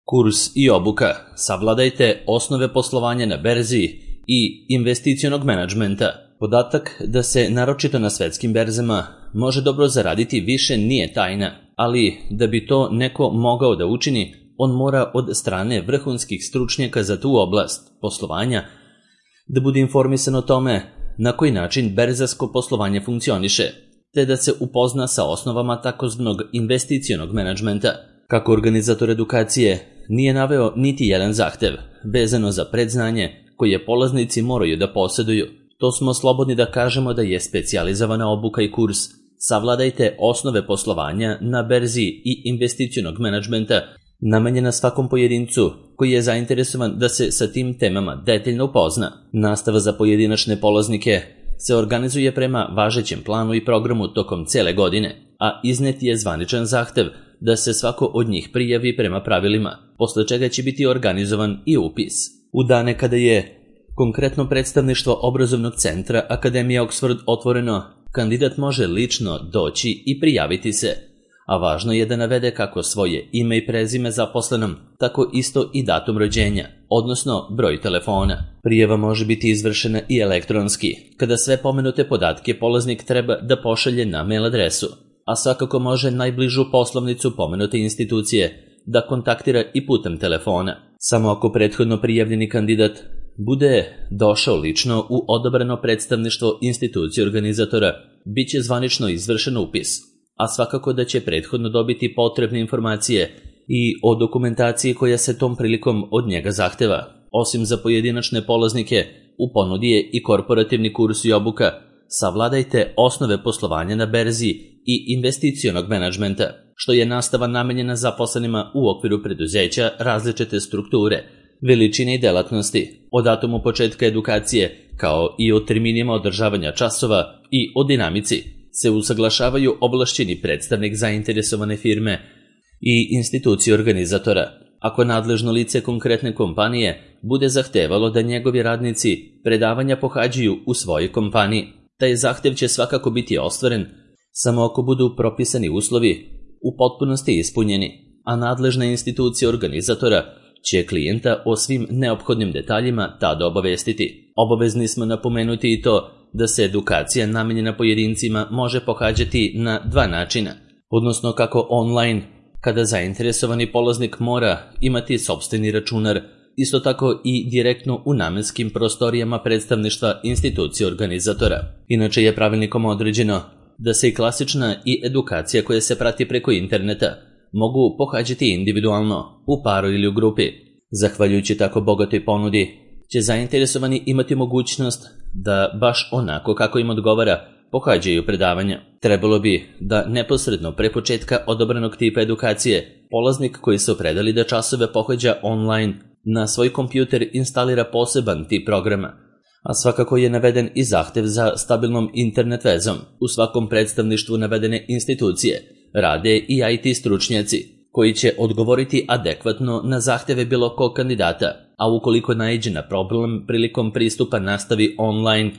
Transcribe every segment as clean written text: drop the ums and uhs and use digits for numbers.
Kurs i obuka. Savladajte osnove poslovanja na berzi i investicionog menadžmenta. Podatak da se, naročito na svetskim berzama, može dobro zaraditi više nije tajna, ali da bi to neko mogao da učini, on mora od strane vrhunskih stručnjaka za tu oblast poslovanja da bude informisan o tome na koji način berzarsko poslovanje funkcioniše, te da se upozna sa osnovama takozvanog investicionog menadžmenta. Kako organizator edukacije nije naveo niti jedan zahtev vezano za predznanje koje polaznici moraju da poseduju, to smo slobodni da kažemo da je specijalizovana obuka i kurs Savladajte osnove poslovanja na berzi i investicionog menadžmenta namenjena svakom pojedincu koji je zainteresovan da se sa tim temama detaljno upozna. Nastava za pojedinačne polaznike se organizuje prema važećem planu i programu tokom cele godine, a iznet je zvaničan zahtev da se svako od njih prijavi prema pravilima, posle čega će biti organizovan i upis. U dane kada je konkretno predstavništvo obrazovnog centra Akademija Oxford otvoreno, kandidat može lično doći i prijaviti se, a važno je da navede kako svoje ime i prezime zaposlenom, tako isto i datum rođenja, odnosno broj telefona. Prijava može biti izvršena i elektronski, kada sve pomenute podatke polaznik treba da pošalje na mail adresu, a svakako može najbližu poslovnicu pomenute institucije da kontaktira i putem telefona. Samo ako prethodno prijavljeni kandidat bude došao lično u odabrano predstavništvo institucije organizatora, bit će zvanično izvršen upis, a svakako da će prethodno dobiti potrebne informacije i o dokumentaciji koja se tom prilikom od njega zahteva. Osim za pojedinačne polaznike, u ponudi je i korporativni kurs i obuka Savladajte osnove poslovanja na berzi i investicionog menadžmenta, što je nastava namenjena zaposlenima u okviru preduzeća različite strukture, veličine i delatnosti, o datumu početka edukacije, kao i o terminima održavanja časova i o dinamici, se usaglašavaju ovlašćeni predstavnik zainteresovane firme i institucije organizatora. Ako nadležno lice konkretne kompanije bude zahtevalo da njegovi radnici predavanja pohađaju u svojoj kompaniji, taj zahtev će svakako biti ostvaren samo ako budu propisani uslovi u potpunosti ispunjeni, a nadležna institucija organizatora će klijenta o svim neophodnim detaljima tada obavestiti. Obavezni smo napomenuti i to da se edukacija namenjena pojedincima može pohađati na dva načina, odnosno kako online, kada zainteresovani polaznik mora imati sopstveni računar, isto tako i direktno u namenskim prostorijama predstavništva institucije organizatora. Inače je pravilnikom određeno da se i klasična i edukacija koja se prati preko interneta mogu pohađati individualno, u paru ili u grupi. Zahvaljujući tako bogatoj ponudi, će zainteresovani imati mogućnost da baš onako kako im odgovara pohađaju predavanja. Trebalo bi da neposredno pre početka odabranog tipa edukacije polaznik koji se opredeli da časove pohađa online na svoj kompjuter instalira poseban tip programa, a svakako je naveden i zahtev za stabilnom internet vezom. U svakom predstavništvu navedene institucije rade i IT stručnjaci koji će odgovoriti adekvatno na zahteve bilo kog kandidata, a ukoliko naiđe na problem prilikom pristupa nastavi online,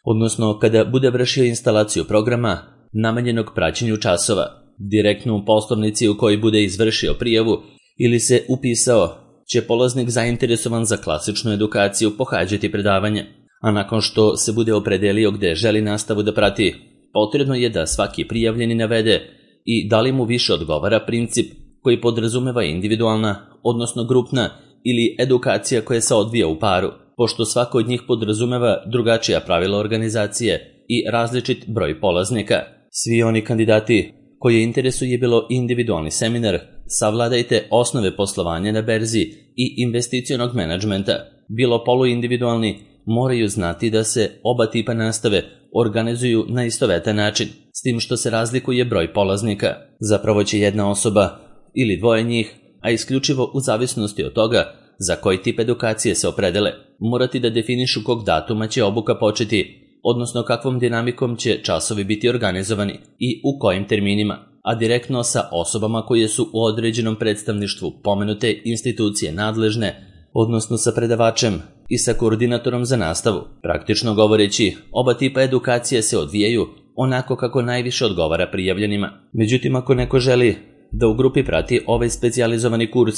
odnosno kada bude vršio instalaciju programa namenjenog praćenju časova, direktno u poslovnici u kojoj bude izvršio prijavu ili se upisao, će polaznik zainteresovan za klasičnu edukaciju pohađati predavanje, a nakon što se bude opredelio gde želi nastavu da prati, potrebno je da svaki prijavljeni navede i da li mu više odgovara princip koji podrazumeva individualna, odnosno grupna ili edukacija koja se odvija u paru, pošto svako od njih podrazumeva drugačija pravila organizacije i različit broj polaznika. Svi oni kandidati koje interesuje bilo individualni seminar Savladajte osnove poslovanja na berzi i investicionog menadžmenta, bilo poluindividualni, moraju znati da se oba tipa nastave organizuju na istovetan način, s tim što se razlikuje broj polaznika. Zapravo će jedna osoba ili dvoje njih, a isključivo u zavisnosti od toga za koji tip edukacije se opredele, morati da definišu kog datuma će obuka početi, odnosno kakvom dinamikom će časovi biti organizovani i u kojim terminima, a direktno sa osobama koje su u određenom predstavništvu pomenute institucije nadležne, odnosno sa predavačem i sa koordinatorom za nastavu. Praktično govoreći, oba tipa edukacije se odvijaju onako kako najviše odgovara prijavljenima. Međutim, ako neko želi da u grupi prati ovaj specijalizovani kurs,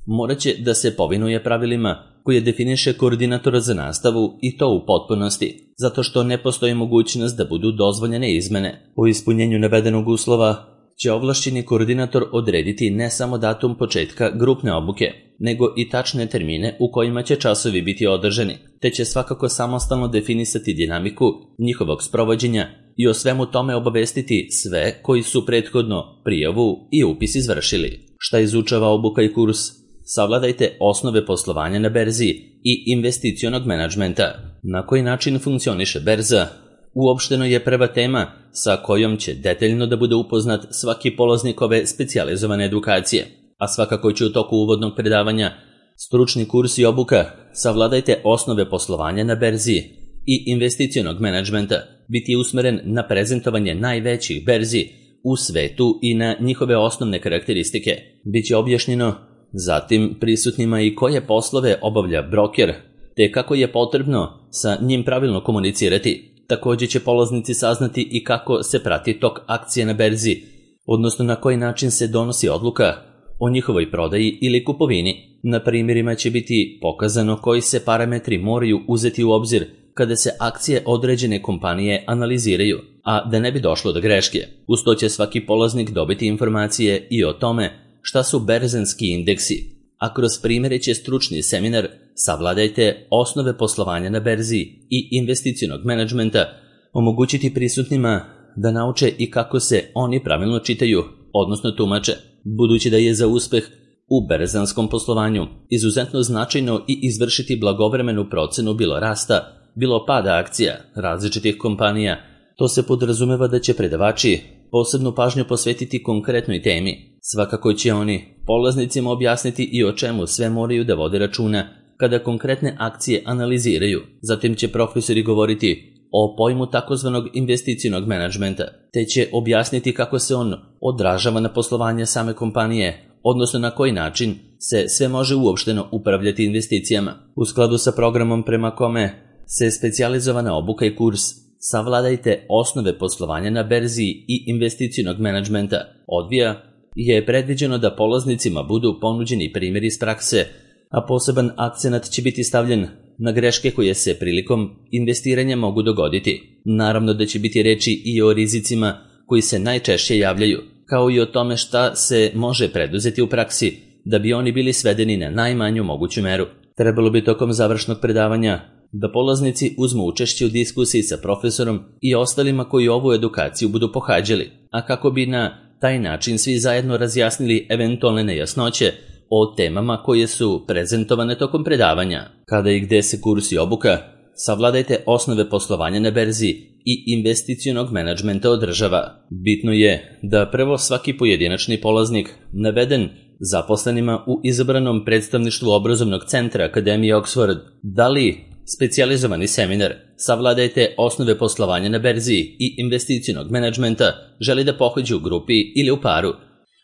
morat će da se povinuje pravilima koje definiše koordinator za nastavu i to u potpunosti, zato što ne postoji mogućnost da budu dozvoljene izmene. Po ispunjenju navedenog uslova će ovlašćeni koordinator odrediti ne samo datum početka grupne obuke, nego i tačne termine u kojima će časovi biti održani, te će svakako samostalno definisati dinamiku njihovog sprovođenja i o svemu tome obavestiti sve koji su prethodno prijavu i upis izvršili. Šta izučava obuka i kurs? Savladajte osnove poslovanja na berzi i investicionog menadžmenta. Na koji način funkcioniše berza? Uopšteno je prva tema sa kojom će detaljno da bude upoznat svaki polaznik ove specijalizovane edukacije, a svakako će u toku uvodnog predavanja stručni kurs i obuka Savladajte osnove poslovanja na berzi i investicionog menadžmenta biti usmeren na prezentovanje najvećih berzi u svetu i na njihove osnovne karakteristike. Biće objašnjeno zatim prisutnima i koje poslove obavlja broker, te kako je potrebno sa njim pravilno komunicirati. Također će polaznici saznati i kako se prati tok akcije na berzi, odnosno na koji način se donosi odluka o njihovoj prodaji ili kupovini. Na primjerima će biti pokazano koji se parametri moraju uzeti u obzir kada se akcije određene kompanije analiziraju, a da ne bi došlo do greške. Uz to će svaki polaznik dobiti informacije i o tome šta su berzanski indeksi, a kroz primjere će stručni seminar Savladajte osnove poslovanja na berzi i investicionog menadžmenta omogućiti prisutnima da nauče i kako se oni pravilno čitaju, odnosno tumače, budući da je za uspeh u berzanskom poslovanju izuzetno značajno i izvršiti blagovremenu procenu bilo rasta, bilo pada akcija različitih kompanija. To se podrazumeva da će predavači posebnu pažnju posvetiti konkretnoj temi. Svakako će oni polaznicima objasniti i o čemu sve moraju da vode računa kada konkretne akcije analiziraju. Zatim će profesori govoriti o pojmu takozvanog investicionog menadžmenta, te će objasniti kako se on odražava na poslovanje same kompanije, odnosno na koji način se sve može uopšteno upravljati investicijama. U skladu sa programom prema kome se specijalizovana obuka i kurs Savladajte osnove poslovanja na berzi i investicionog menadžmenta odvija, je predviđeno da polaznicima budu ponuđeni primjeri iz prakse, a poseban akcenat će biti stavljen na greške koje se prilikom investiranja mogu dogoditi. Naravno da će biti reči i o rizicima koji se najčešće javljaju, kao i o tome šta se može preduzeti u praksi da bi oni bili svedeni na najmanju moguću meru. Trebalo bi tokom završnog predavanja da polaznici uzmu učešće u diskusiji sa profesorom i ostalima koji ovu edukaciju budu pohađali, a kako bi na taj način svi zajedno razjasnili eventualne nejasnoće o temama koje su prezentovane tokom predavanja. Kada i gde se kurs i obuka Savladajte osnove poslovanja na berzi i investicionog menadžmenta održava. Bitno je da prvo svaki pojedinačni polaznik naveden zaposlenima u izabranom predstavništvu obrazovnog centra Akademije Oxford da li specijalizovani seminar Savladajte osnove poslovanja na berzi i investicionog menadžmenta želi da pohađa u grupi ili u paru,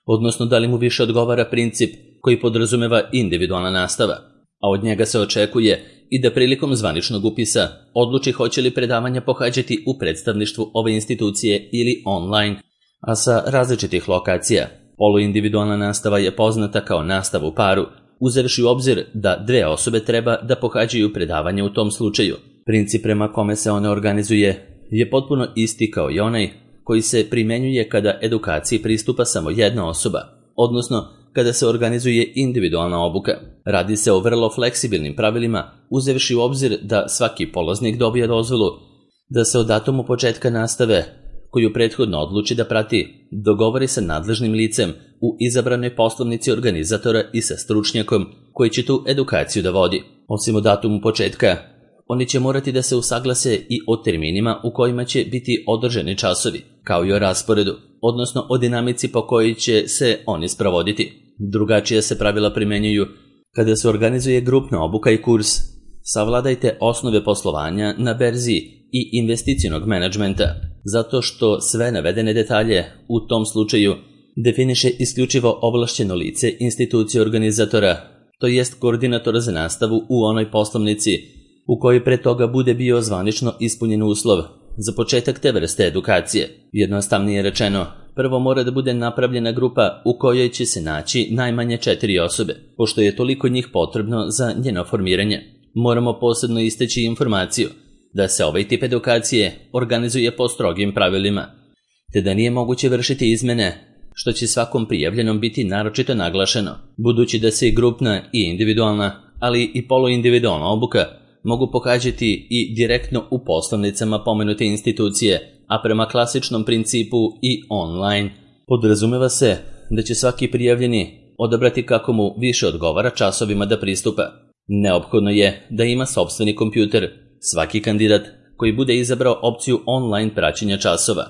odnosno da li mu više odgovara princip koji podrazumeva individualna nastava, a od njega se očekuje i da prilikom zvaničnog upisa odluči hoće li predavanja pohađati u predstavništvu ove institucije ili online, a sa različitih lokacija. Poluindividualna nastava je poznata kao nastava u paru, uzevši u obzir da dve osobe treba da pohađaju predavanje u tom slučaju. Princip prema kome se ona organizuje je potpuno isti kao i onaj koji se primenjuje kada edukaciji pristupa samo jedna osoba, odnosno kada se organizuje individualna obuka. Radi se o vrlo fleksibilnim pravilima, uzevši u obzir da svaki polaznik dobije dozvolu da se o datumu početka nastave, koju prethodno odluči da prati, dogovori sa nadležnim licem u izabranoj poslovnici organizatora i sa stručnjakom koji će tu edukaciju da vodi. Osim o datumu početka, oni će morati da se usaglase i o terminima u kojima će biti održani časovi, kao i o rasporedu, odnosno o dinamici po kojoj će se oni sprovoditi. Drugačije se pravila primenjuju kada se organizuje grupna obuka i kurs Savladajte osnove poslovanja na berzi i investicionog menadžmenta, zato što sve navedene detalje u tom slučaju definiše isključivo ovlašćeno lice institucije organizatora, to jest koordinator za nastavu u onoj poslovnici u kojoj pre toga bude bio zvanično ispunjen uslov za početak te vrste edukacije. Jednostavnije rečeno, prvo mora da bude napravljena grupa u kojoj će se naći najmanje 4 osobe, pošto je toliko njih potrebno za njeno formiranje. Moramo posebno istaći informaciju da se ovaj tip edukacije organizuje po strogim pravilima, te da nije moguće vršiti izmene, što će svakom prijavljenom biti naročito naglašeno, budući da se i grupna i individualna, ali i poluindividualna obuka mogu pohađati i direktno u poslovnicama pomenute institucije, a prema klasičnom principu i online. Podrazumeva se da će svaki prijavljeni odabrati kako mu više odgovara časovima da pristupa. Neophodno je da ima sopstveni kompjuter, svaki kandidat koji bude izabrao opciju online praćenja časova,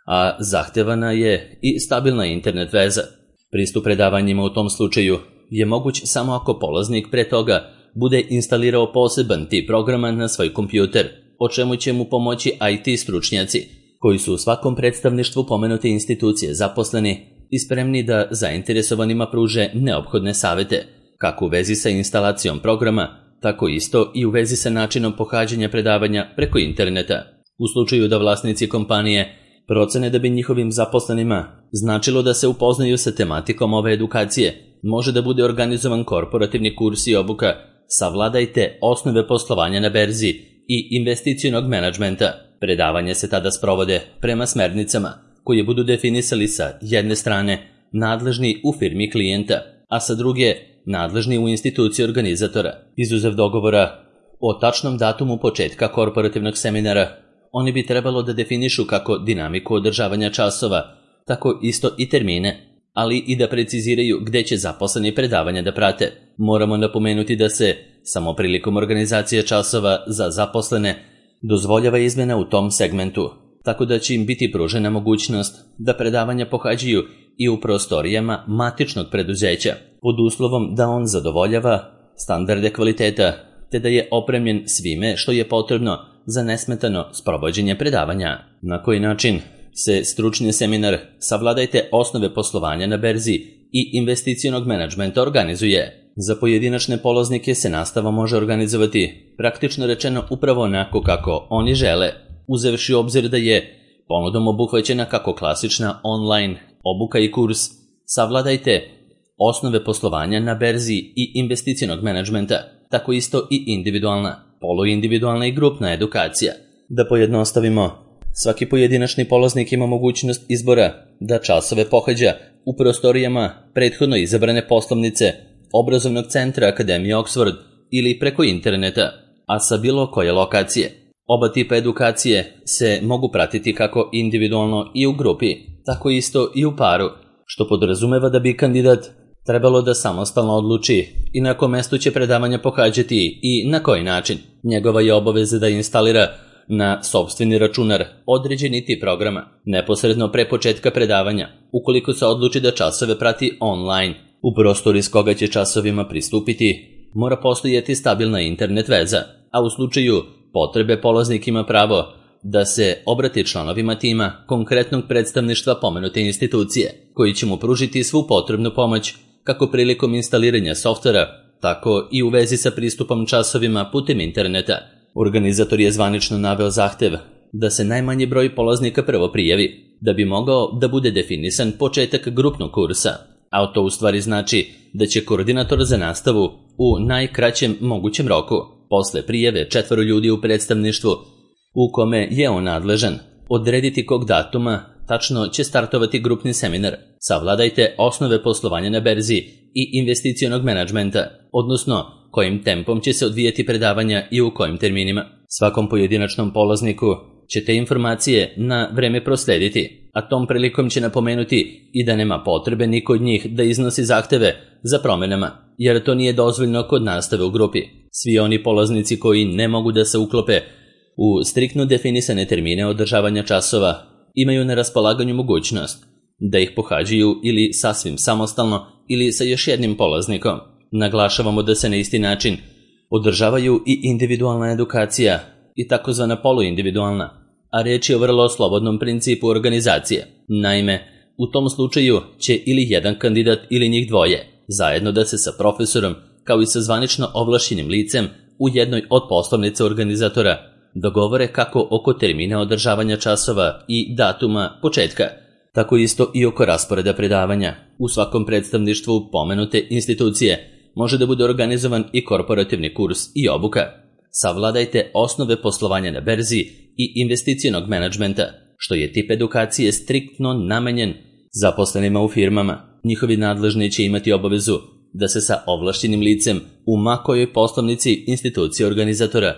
a zahtevana je i stabilna internet veza. Pristup predavanjima u tom slučaju je moguć samo ako polaznik pre toga bude instalirao poseban tip programa na svoj kompjuter, o čemu će mu pomoći IT stručnjaci, koji su u svakom predstavništvu pomenute institucije zaposleni i spremni da zainteresovanima pruže neophodne savete, kako u vezi sa instalacijom programa, tako isto i u vezi sa načinom pohađanja predavanja preko interneta. U slučaju da vlasnici kompanije procene da bi njihovim zaposlenima značilo da se upoznaju sa tematikom ove edukacije, može da bude organizovan korporativni kurs i obuka Savladajte osnove poslovanja na berzi i investicionog menadžmenta. Predavanje se tada sprovode prema smernicama koje budu definisali sa jedne strane nadležni u firmi klijenta, a sa druge nadležni u instituciji organizatora. Izuzev dogovora o tačnom datumu početka korporativnog seminara, oni bi trebalo da definišu kako dinamiku održavanja časova, tako isto i termine, ali i da preciziraju gde će zaposleni predavanja da prate. Moramo napomenuti da se samo prilikom organizacije časova za zaposlene dozvoljava izmena u tom segmentu, tako da će im biti pružena mogućnost da predavanja pohađaju i u prostorijama matičnog preduzeća, pod uslovom da on zadovoljava standarde kvaliteta, te da je opremljen svime što je potrebno za nesmetano sprovođenje predavanja. Na koji način se stručni seminar Savladajte osnove poslovanja na berzi i investicionog menadžmenta organizuje? Za pojedinačne polaznike se nastava može organizovati, praktično rečeno, upravo onako kako oni žele, uzevši u obzir da je ponudom obuhvaćena kako klasična online obuka i kurs Savladajte osnove poslovanja na berzi i investicionog menadžmenta, tako isto i individualna, poluindividualna i grupna edukacija. Da pojednostavimo, svaki pojedinačni polaznik ima mogućnost izbora da časove pohađa u prostorijama prethodno izabrane poslovnice obrazovnog centra Akademije Oxford ili preko interneta, a sa bilo koje lokacije. Oba tipa edukacije se mogu pratiti kako individualno i u grupi, tako isto i u paru, što podrazumeva da bi kandidat trebalo da samostalno odluči i na kom mestu će predavanja pohađati i na koji način. Njegova je obaveza da instalira na sopstveni računar određeni tip programa neposredno pre početka predavanja, ukoliko se odluči da časove prati online. U prostoru iz koga će časovima pristupiti mora postojati stabilna internet veza, a u slučaju potrebe polaznik ima pravo da se obrati članovima tima konkretnog predstavništva pomenute institucije, koji će mu pružiti svu potrebnu pomoć kako prilikom instaliranja softvera, tako i u vezi sa pristupom časovima putem interneta. Organizator je zvanično naveo zahtev da se najmanji broj polaznika prvo prijavi, da bi mogao da bude definisan početak grupnog kursa, a to u stvari znači da će koordinator za nastavu u najkraćem mogućem roku, posle prijave 4 ljudi u predstavništvu u kome je on nadležan, odrediti kog datuma tačno će startovati grupni seminar Savladajte osnove poslovanja na berzi i investicionog menadžmenta, odnosno kojim tempom će se odvijati predavanja i u kojim terminima. Svakom pojedinačnom polazniku će te informacije na vreme proslediti, a tom prilikom će napomenuti i da nema potrebe niko od njih da iznosi zahteve za promenama, jer to nije dozvoljno kod nastave u grupi. Svi oni polaznici koji ne mogu da se uklope u striktno definisane termine održavanja časova imaju na raspolaganju mogućnost da ih pohađaju ili sasvim samostalno ili sa još jednim polaznikom. Naglašavamo da se na isti način održavaju i individualna edukacija i takozvana poluindividualna, a reč je o vrlo slobodnom principu organizacije. Naime, u tom slučaju će ili jedan kandidat ili njih dvoje zajedno da se sa profesorom, kao i sa zvanično ovlašćenim licem u jednoj od poslovnica organizatora dogovore kako oko termina održavanja časova i datuma početka, Tako isto i oko rasporeda predavanja. U svakom predstavništvu pomenute institucije može da bude organizovan i korporativni kurs i obuka. Savladajte osnove poslovanja na berzi i investicionog menadžmenta, što je tip edukacije striktno namenjen zaposlenima u firmama. Njihovi nadležni će imati obavezu da se sa ovlašćenim licem u makojoj poslovnici institucije organizatora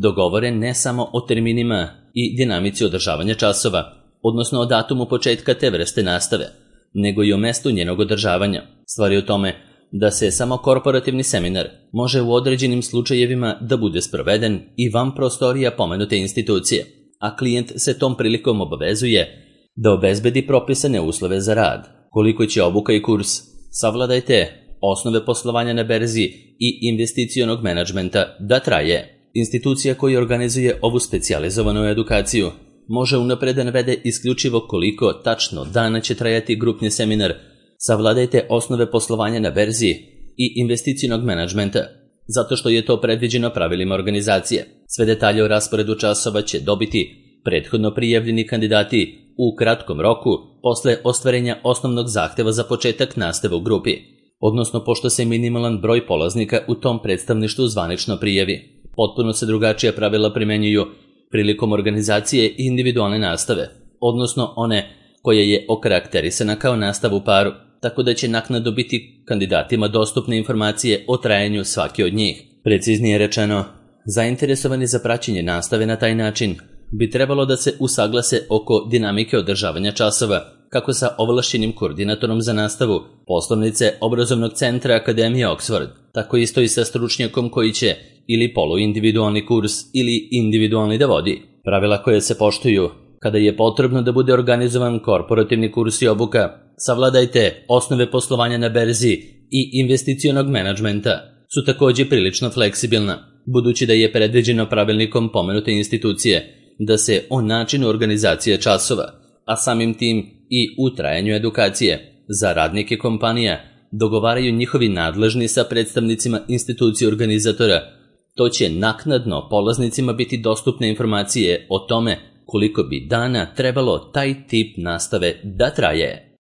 dogovore ne samo o terminima i dinamici održavanja časova, odnosno o datumu početka te vrste nastave, nego i o mestu njenog održavanja. Stvar je u tome da se samo korporativni seminar može u određenim slučajevima da bude sproveden i van prostorija pomenute institucije, a klijent se tom prilikom obavezuje da obezbedi propisane uslove za rad. Koliko će obuka i kurs Savladajte osnove poslovanja na berzi i investicionog menadžmenta da traje? Institucija koja organizuje ovu specijalizovanu edukaciju može unapred da navede isključivo koliko tačno dana će trajati grupni seminar Savladajte osnove poslovanja na berzi i investicionog menadžmenta, zato što je to predviđeno pravilima organizacije. Sve detalje o rasporedu časova će dobiti prethodno prijavljeni kandidati u kratkom roku posle ostvarenja osnovnog zahteva za početak nastave u grupi, odnosno pošto se minimalan broj polaznika u tom predstavništvu zvanično prijavi. Potpuno se drugačija pravila primenjuju prilikom organizacije individualne nastave, odnosno one koja je okarakterisana kao nastava u paru, tako da će naknadno biti kandidatima dostupne informacije o trajanju svake od njih. Preciznije rečeno, zainteresovani za praćenje nastave na taj način bi trebalo da se usaglase oko dinamike održavanja časova, kako sa ovlašćenim koordinatorom za nastavu poslovnice obrazovnog centra Akademije Oxford, tako isto i sa stručnjakom koji će ili poluindividualni kurs ili individualni da vodi. Pravila koje se poštuju kada je potrebno da bude organizovan korporativni kurs i obuka Savladajte osnove poslovanja na berzi i investicionog menadžmenta su također prilično fleksibilna, budući da je predviđeno pravilnikom pomenute institucije da se o načinu organizacije časova, a samim tim i u trajanju edukacije za radnike kompanija dogovaraju njihovi nadležni sa predstavnicima institucije organizatora. To će naknadno polaznicima biti dostupne informacije o tome koliko bi dana trebalo taj tip nastave da traje.